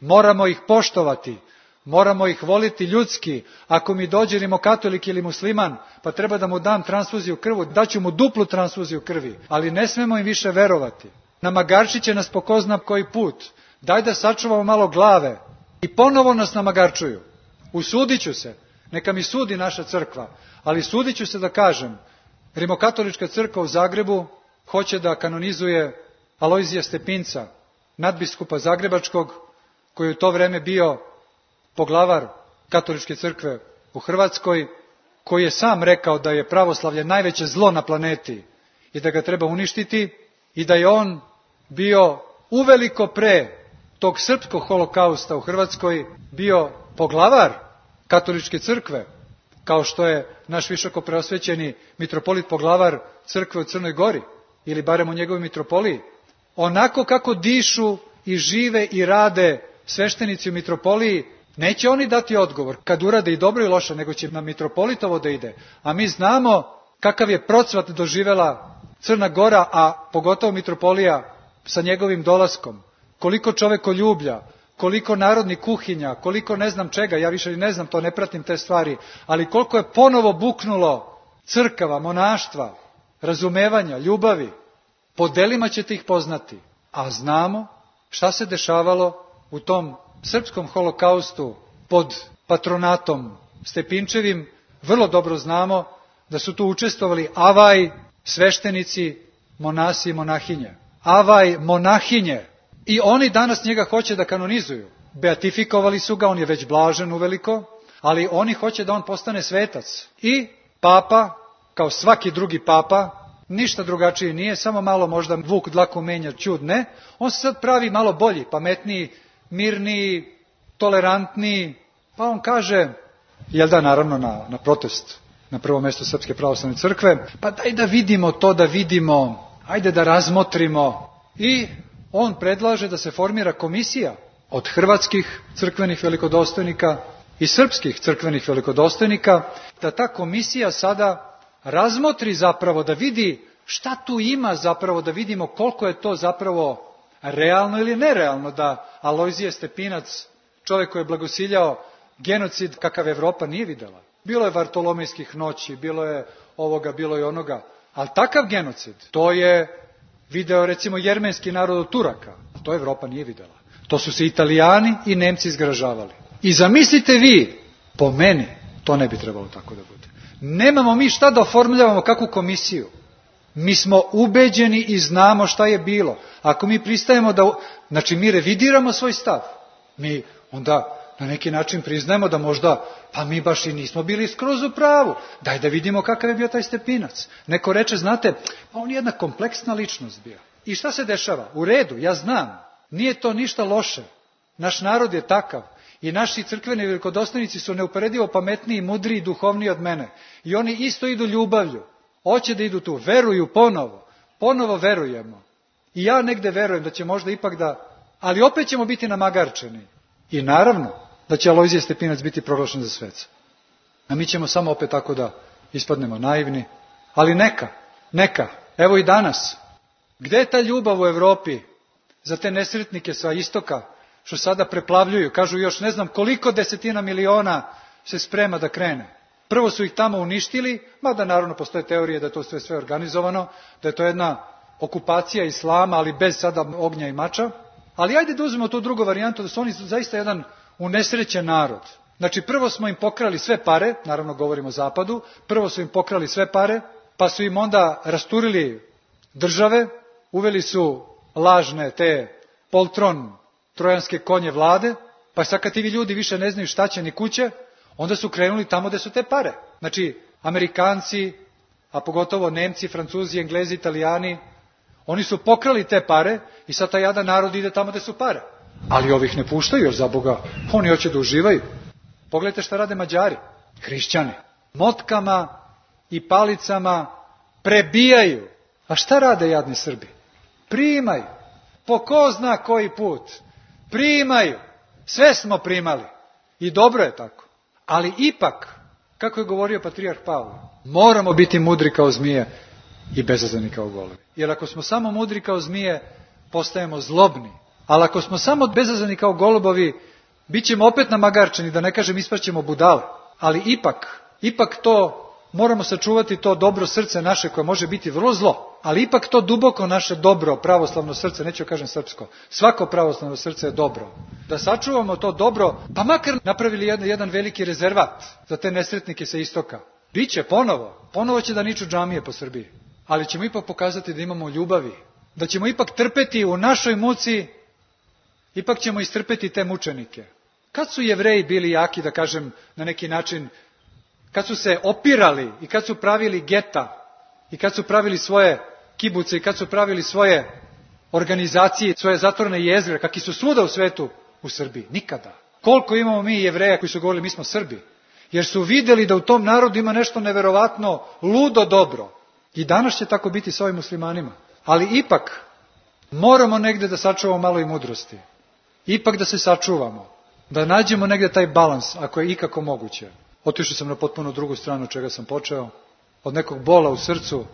Moramo ih poštovati, moramo ih voliti ljudski. Ako mi dođe rimokatolik ili musliman, pa treba da mu dam transfuziju krvu, daću mu duplu transfuziju krvi, ali ne smemo im više verovati. Namagarčit će nas po ko zna koji put. Daj da sačuvamo malo glave. I ponovo nas namagarčuju. Usudit ću se, neka mi sudi naša crkva, ali sudit ću se da kažem, Rimokatolička crkva u Zagrebu hoće da kanonizuje Alojzija Stepinca, nadbiskupa Zagrebačkog, koji je u to vreme bio poglavar Katoličke crkve u Hrvatskoj, koji je sam rekao da je pravoslavlje najveće zlo na planeti i da ga treba uništiti i da je on bio uveliko pre tog srpskog holokausta u Hrvatskoj bio poglavar Katoličke crkve, kao što je naš visoko preosvećeni mitropolit poglavar crkve u Crnoj Gori, ili barem u njegovoj mitropoliji. Onako kako dišu i žive i rade sveštenici u mitropoliji, neće oni dati odgovor kad urade i dobro i loše, nego će na mitropolitovo da ide. A mi znamo kakav je procvat doživela Crna Gora, a pogotovo mitropolija sa njegovim dolaskom. Koliko čovekoljublja, koliko narodnih kuhinja, koliko ne znam čega, ja više ne znam, to ne pratim te stvari, ali koliko je ponovo buknulo crkava, monaštva, razumevanja, ljubavi. Po delima ćete ih poznati, a znamo šta se dešavalo u tom srpskom holokaustu pod patronatom Stepinčevim. Vrlo dobro znamo da su tu učestvovali avaj, sveštenici, monasi i monahinje. Avaj, monahinje. I oni danas njega hoće da kanonizuju. Beatifikovali su ga, on je već blažen uveliko, ali oni hoće da on postane svetac. I papa, kao svaki drugi papa, ništa drugačije nije, samo malo možda vuk dlaku menja, čud ne. On se sad pravi malo bolji, pametniji, mirniji, tolerantniji. Pa on kaže, jel da, naravno na, na protest, na prvo mjesto Srpske pravoslavne crkve, pa daj da vidimo to, da vidimo, ajde da razmotrimo. I on predlaže da se formira komisija od hrvatskih crkvenih velikodostojnika i srpskih crkvenih velikodostojnika, da ta komisija sada razmotri zapravo, da vidi šta tu ima zapravo, da vidimo koliko je to zapravo realno ili nerealno da Alojzije Stepinac, čovjek koji je blagosiljao genocid kakav Evropa nije videla. Bilo je Vartolomejskih noći, bilo je ovoga, bilo je onoga, ali takav genocid, to je video recimo jermenski narod od Turaka, to Evropa nije videla. To su se Italijani i Nemci zgražavali. I zamislite vi, po meni, to ne bi trebalo tako da bude. Nemamo mi šta da oformljavamo kakvu komisiju. Mi smo ubeđeni i znamo šta je bilo. Ako mi pristajemo da, znači mi revidiramo svoj stav. Mi onda na neki način priznajemo da možda, pa mi baš i nismo bili skroz u pravu. Daj da vidimo kakav je bio taj Stepinac. Neko reče, znate, pa on je jedna kompleksna ličnost bio. I šta se dešava? U redu, ja znam. Nije to ništa loše. Naš narod je takav. I naši crkveni velikodostojnici su neuporedivo pametniji, mudriji i duhovniji od mene. I oni isto idu ljubavlju. Hoće da idu tu. Veruju ponovo. Ponovo verujemo. I ja negde verujem da će možda ipak da... Ali opet ćemo biti namagarčeni. I naravno da će Alojzije Stepinac biti proglašen za sveca. A mi ćemo samo opet tako da ispadnemo naivni. Ali neka, neka. Evo i danas. Gde je ta ljubav u Evropi za te nesretnike sa istoka, što sada preplavljuju? Kažu još ne znam koliko desetina miliona se sprema da krene. Prvo su ih tamo uništili, mada naravno postoje teorije da je to sve sve organizovano, da je to jedna okupacija islama, ali bez sada ognja i mača. Ali ajde da uzmemo tu drugu varijantu, da su oni zaista jedan unesrećen narod. Znači prvo smo im pokrali sve pare, naravno govorimo o zapadu, prvo su im pokrali sve pare, pa su im onda rasturili države, uveli su lažne te poltron trojanske konje vlade, pa sad kad ti ljudi više ne znaju šta će ni kuće, onda su krenuli tamo gde su te pare. Znači, Amerikanci, a pogotovo Nemci, Francuzi, Englezi, Italijani, oni su pokrali te pare i sad taj jadan narod ide tamo gde su pare. Ali ovih ne puštaju još za Boga, oni hoće da uživaju. Pogledajte šta rade Mađari, hrišćani. Motkama i palicama prebijaju. A šta rade jadni Srbi? Primaju. Po ko zna koji put. Primaju. Sve smo primali. I dobro je tako. Ali ipak, kako je govorio patrijarh Pavle, moramo biti mudri kao zmije i bezazleni kao golovi. Jer ako smo samo mudri kao zmije, postajemo zlobni. Ali ako smo samo bezazleni kao golubovi, bit ćemo opet namagarčeni, da ne kažem ispraćemo budale. Ali ipak, ipak to, moramo sačuvati to dobro srce naše koje može biti vrlo zlo. Ali ipak to duboko naše dobro, pravoslavno srce, neću kažem srpsko, svako pravoslavno srce je dobro. Da sačuvamo to dobro, pa makar napravili jedan, jedan veliki rezervat za te nesretnike sa istoka. Biće ponovo, ponovo će da niču džamije po Srbiji. Ali ćemo ipak pokazati da imamo ljubavi, da ćemo ipak trpeti u našoj muci, ipak ćemo istrpeti te mučenike. Kad su Jevreji bili jaki, da kažem na neki način, kad su se opirali i kad su pravili geta i kad su pravili svoje kibuce i kad su pravili svoje organizacije, svoje zatvorene jezgre, kakvi su svuda u svetu, u Srbiji? Nikada. Koliko imamo mi Jevreja koji su govorili mi smo Srbi? Jer su vidjeli da u tom narodu ima nešto neverovatno, ludo dobro. I danas će tako biti s ovim muslimanima. Ali ipak moramo negdje da sačuvamo malo i mudrosti. Ipak da se sačuvamo. Da nađemo negdje taj balans, ako je ikako moguće. Otišao sam na potpuno drugu stranu od čega sam počeo. Od nekog bola u srcu,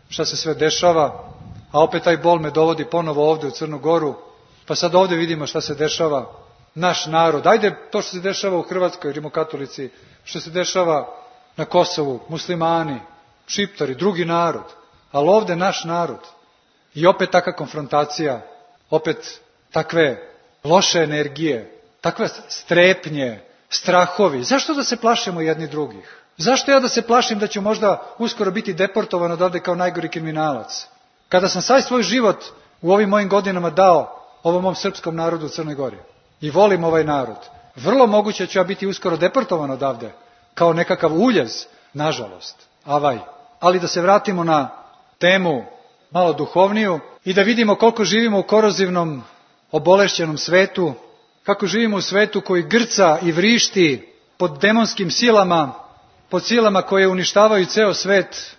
šta se sve dešava, a opet taj bol me dovodi ponovo ovdje u Crnu Goru, pa sad ovdje vidimo šta se dešava. naš narod. Ajde to što se dešava u Hrvatskoj, rimokatolici, što se dešava na Kosovu, muslimani, šiptari, drugi narod, ali ovde naš narod. I opet takva konfrontacija, opet takve loše energije, takve strepnje, strahovi. Zašto da se plašimo jedni drugih? Zašto ja da se plašim da ću možda uskoro biti deportovan odavde kao najgori kriminalac? Kada sam sav svoj život u ovim mojim godinama dao ovom mom srpskom narodu u Crnoj Gori i volim ovaj narod, vrlo moguće ću ja biti uskoro deportovan odavde kao nekakav uljez, nažalost, avaj. Ali da se vratimo na temu malo duhovniju i da vidimo koliko živimo u korozivnom, obolešćenom svetu, kako živimo u svetu koji grca i vrišti pod demonskim silama, pod silama koje uništavaju ceo svet,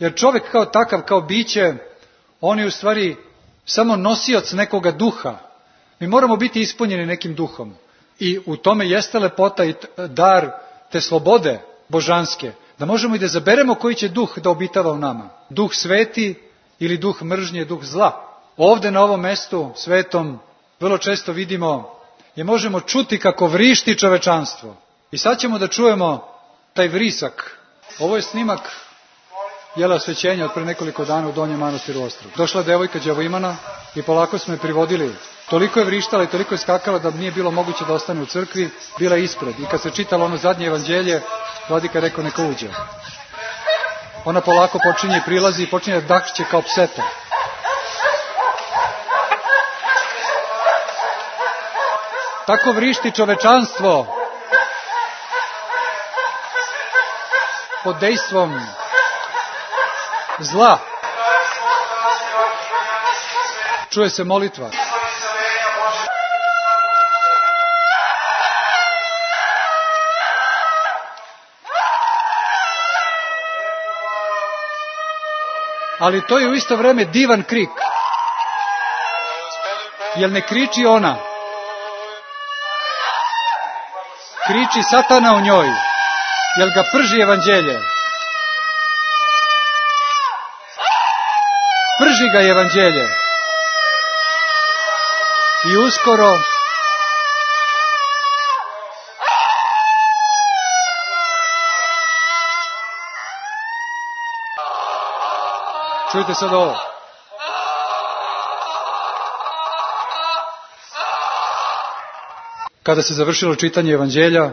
jer čovjek kao takav, kao biće, on je u stvari samo nosioc nekoga duha. Mi moramo biti ispunjeni nekim duhom i u tome jeste lepota i dar te slobode božanske, da možemo i da zaberemo koji će duh da obitava u nama. Duh sveti ili duh mržnje, duh zla. Ovde na ovom mestu svetom vrlo često vidimo i možemo čuti kako vrišti čovečanstvo. I sad ćemo da čujemo taj vrisak. Ovo je snimak jela osvećenja od pre nekoliko dana u Donjem Manastiru Ostrog. Došla devojka đavoimana i polako smo je privodili. Toliko je vrištala i toliko je skakala da nije bilo moguće da ostane u crkvi, bila je ispred. I kad se čitalo ono zadnje evanđelje, vladika rekao neka uđe. Ona polako počinje i prilazi i počinje da dakće kao pseta. Tako vrišti čovečanstvo pod dejstvom zla. Čuje se molitva. Ali to je u isto vreme divan krik. Jer ne kriči ona. Kriči Satana u njoj. Jer ga prži evanđelje. Prži ga evanđelje. I uskoro čujte sad ovo. Kada se završilo čitanje evanđelja,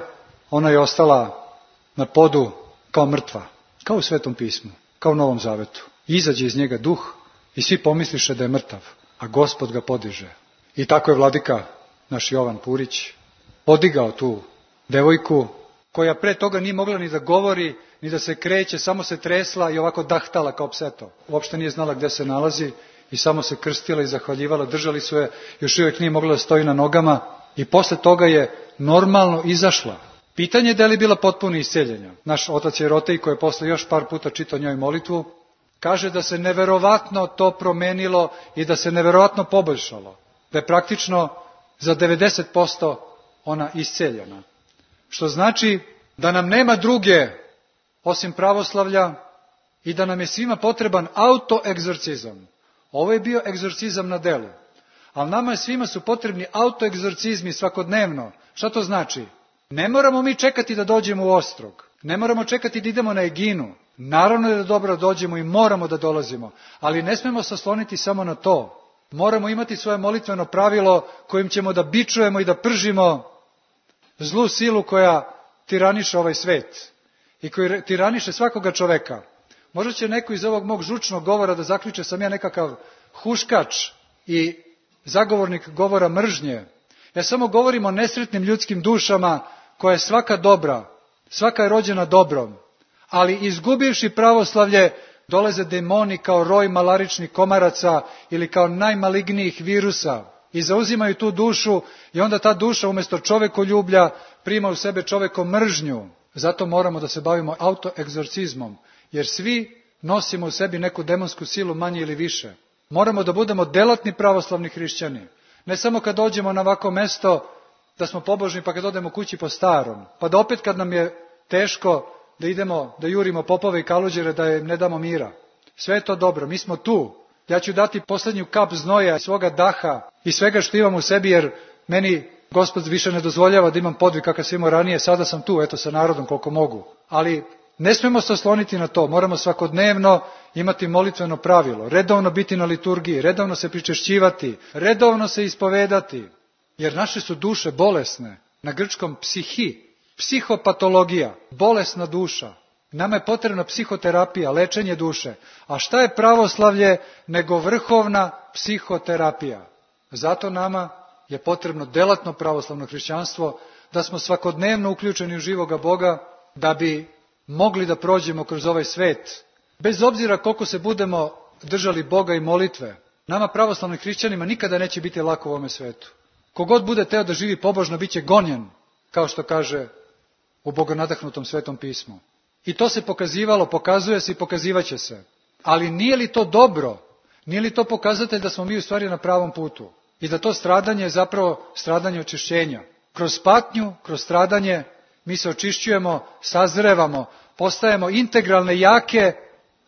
ona je ostala na podu kao mrtva, kao u Svetom pismu, kao u Novom Zavetu. Izađe iz njega duh i svi pomisliše da je mrtav, a Gospod ga podiže. I tako je vladika naš Jovan Purić podigao tu devojku koja pre toga nije mogla ni da govori, ni da se kreće, samo se tresla i ovako dahtala kao pseto. Uopšte nije znala gde se nalazi i samo se krstila i zahvaljivala, držali su je, još uvijek nije mogla da stoji na nogama i posle toga je normalno izašla. Pitanje je da li je bila potpuno isceljenja. Naš otac Jerotej, koji je posle još par puta čitao njoj molitvu, kaže da se neverovatno to promenilo i da se neverovatno poboljšalo. Da je praktično za devedeset posto ona isceljena. Što znači da nam nema druge osim pravoslavlja i da nam je svima potreban autoegzorcizam. Ovo je bio egzorcizam na delu. Ali nama je svima su potrebni autoegzorcizmi svakodnevno. Šta to znači? Ne moramo mi čekati da dođemo u Ostrog. Ne moramo čekati da idemo na Eginu. Naravno je da dobro dođemo i moramo da dolazimo. Ali ne smemo se osloniti samo na to. Moramo imati svoje molitveno pravilo kojim ćemo da bičujemo i da pržimo zlu silu koja tiraniše ovaj svet i koji tiraniše svakoga čoveka. Možda će neko iz ovog mog žučnog govora da zaključe sam ja nekakav huškač i zagovornik govora mržnje. Ja samo govorim o nesretnim ljudskim dušama koja je svaka dobra, svaka je rođena dobrom, ali izgubivši pravoslavlje dolaze demoni kao roj malaričnih komaraca ili kao najmalignijih virusa i zauzimaju tu dušu i onda ta duša umjesto čovekoljublja prima u sebe čovekom mržnju. Zato moramo da se bavimo autoegzorcizmom, jer svi nosimo u sebi neku demonsku silu manje ili više. Moramo da budemo delatni pravoslavni hrišćani. Ne samo kad dođemo na ovako mesto da smo pobožni pa kad odemo kući po starom. Pa da opet kad nam je teško da idemo, da jurimo popove i kaluđere da im ne damo mira. Sve je to dobro, mi smo tu. Ja ću dati posljednju kap znoja, svoga daha i svega što imam u sebi jer meni Gospod više ne dozvoljava da imam podvig kakav sam imao ranije, sada sam tu, eto, sa narodom koliko mogu. Ali ne smemo se osloniti na to, moramo svakodnevno imati molitveno pravilo, redovno biti na liturgiji, redovno se pričešćivati, redovno se ispovedati, jer naše su duše bolesne, na grčkom psihi, psihopatologija, bolesna duša. Nama je potrebna psihoterapija, lečenje duše. A šta je pravoslavlje nego vrhovna psihoterapija? Zato nama je potrebno delatno pravoslavno hrišćanstvo, da smo svakodnevno uključeni u živoga Boga, da bi mogli da prođemo kroz ovaj svet. Bez obzira koliko se budemo držali Boga i molitve, nama pravoslavnim hrišćanima nikada neće biti lako u ovome svetu. Kogod bude teo da živi pobožno, bit će gonjen, kao što kaže u bogonadahnutom Svetom pismu. I to se pokazivalo, pokazuje se i pokazivaće se. Ali nije li to dobro? Nije li to pokazatelj da smo mi u stvari na pravom putu? I da to stradanje je zapravo stradanje očišćenja. Kroz patnju, kroz stradanje, mi se očišćujemo, sazrevamo, postajemo integralne, jake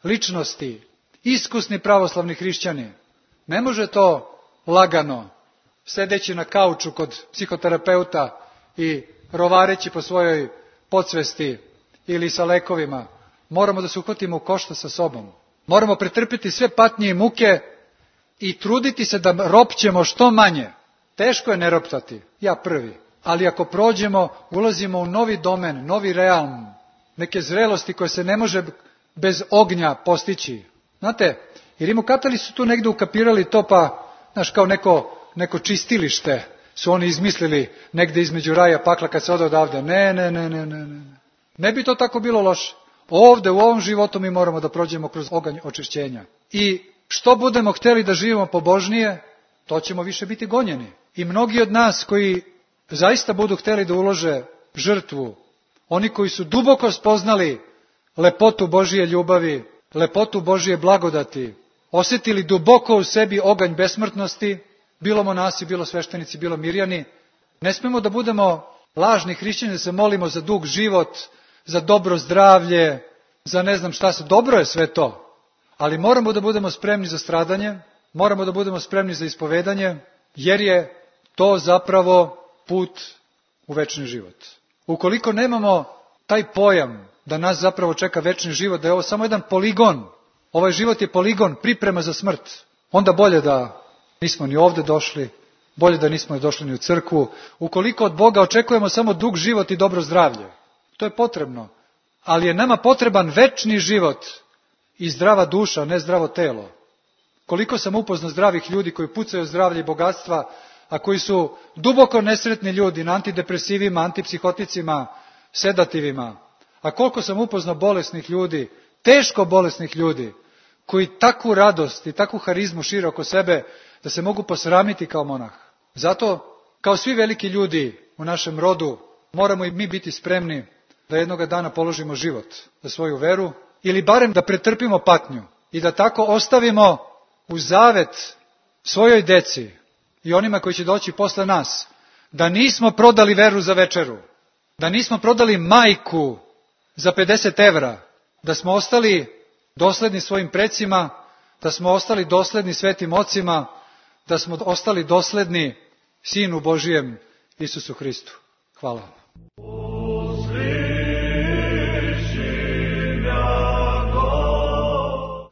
ličnosti, iskusni pravoslavni hrišćani. Ne može to lagano, sedeći na kauču kod psihoterapeuta i rovareći po svojoj podsvesti ili sa lekovima. Moramo da se uhvatimo u koštac sa sobom. Moramo pretrpiti sve patnje i muke i truditi se da ropćemo što manje. Teško je ne roptati, ja prvi. Ali ako prođemo, ulazimo u novi domen, novi realm, neke zrelosti koje se ne može bez ognja postići. Znate, i rimokatoli su tu negde ukapirali to, pa, znaš, kao neko, neko čistilište su oni izmislili negde između raja pakla kad se ode odavde. Ne, ne, ne, ne, ne, ne. Ne bi to tako bilo loše. Ovde, u ovom životu mi moramo da prođemo kroz oganj očišćenja. I što budemo hteli da živimo pobožnije, to ćemo više biti gonjeni. I mnogi od nas koji zaista budu hteli da ulože žrtvu, oni koji su duboko spoznali lepotu Božije ljubavi, lepotu Božije blagodati, osjetili duboko u sebi oganj besmrtnosti, bilo monasi, bilo sveštenici, bilo mirjani, ne smemo da budemo lažni hrišćani, da se molimo za dug život, za dobro zdravlje, za ne znam šta se, dobro je sve to, ali moramo da budemo spremni za stradanje, moramo da budemo spremni za ispovedanje, jer je to zapravo put u večni život. Ukoliko nemamo taj pojam da nas zapravo čeka večni život, da je ovo samo jedan poligon, ovaj život je poligon, priprema za smrt, onda bolje da nismo ni ovde došli, bolje da nismo došli ni u crkvu. Ukoliko od Boga očekujemo samo dug život i dobro zdravlje, to je potrebno, ali je nama potreban večni život i zdrava duša, ne zdravo telo. Koliko sam upoznao zdravih ljudi koji pucaju zdravlje i bogatstva, a koji su duboko nesretni ljudi na antidepresivima, antipsihoticima, sedativima. A koliko sam upoznao bolesnih ljudi, teško bolesnih ljudi, koji takvu radost i takvu harizmu šire oko sebe da se mogu posramiti kao monah. Zato, kao svi veliki ljudi u našem rodu, moramo i mi biti spremni da jednoga dana položimo život za svoju veru, ili barem da pretrpimo patnju i da tako ostavimo u zavet svojoj deci i onima koji će doći posle nas, da nismo prodali veru za večeru, da nismo prodali majku za pedeset evra, da smo ostali dosledni svojim precima, da smo ostali dosledni svetim ocima, da smo ostali dosledni Sinu Božijem Isusu Hristu. Hvala vam.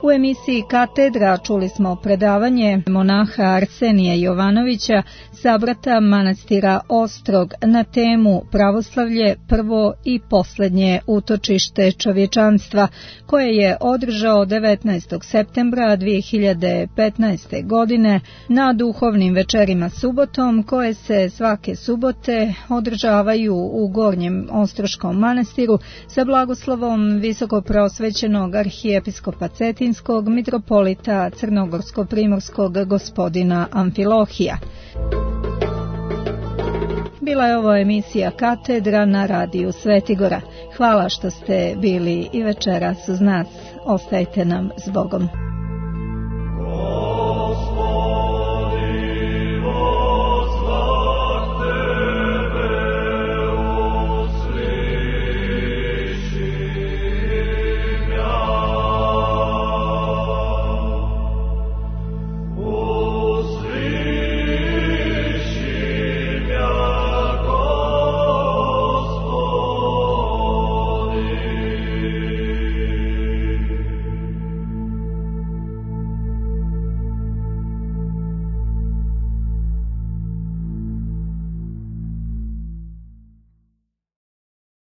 U emisiji Katedra čuli smo predavanje monaha Arsenija Jovanovića, sabrata manastira Ostrog, na temu Pravoslavlje, prvo i posljednje utočište čovječanstva, koje je održao devetnaestog septembra dvije hiljade petnaeste. godine na duhovnim večerima subotom, koje se svake subote održavaju u Gornjem Ostroškom manastiru sa blagoslovom visokopreosvećenog arhijepiskopa Cetinskog mitropolita crnogorsko-primorskog gospodina Amfilohija. Bila je ovo emisija Katedra na radiju Svetigora. Hvala što ste bili i večeras uz nas. Ostajte nam s Bogom.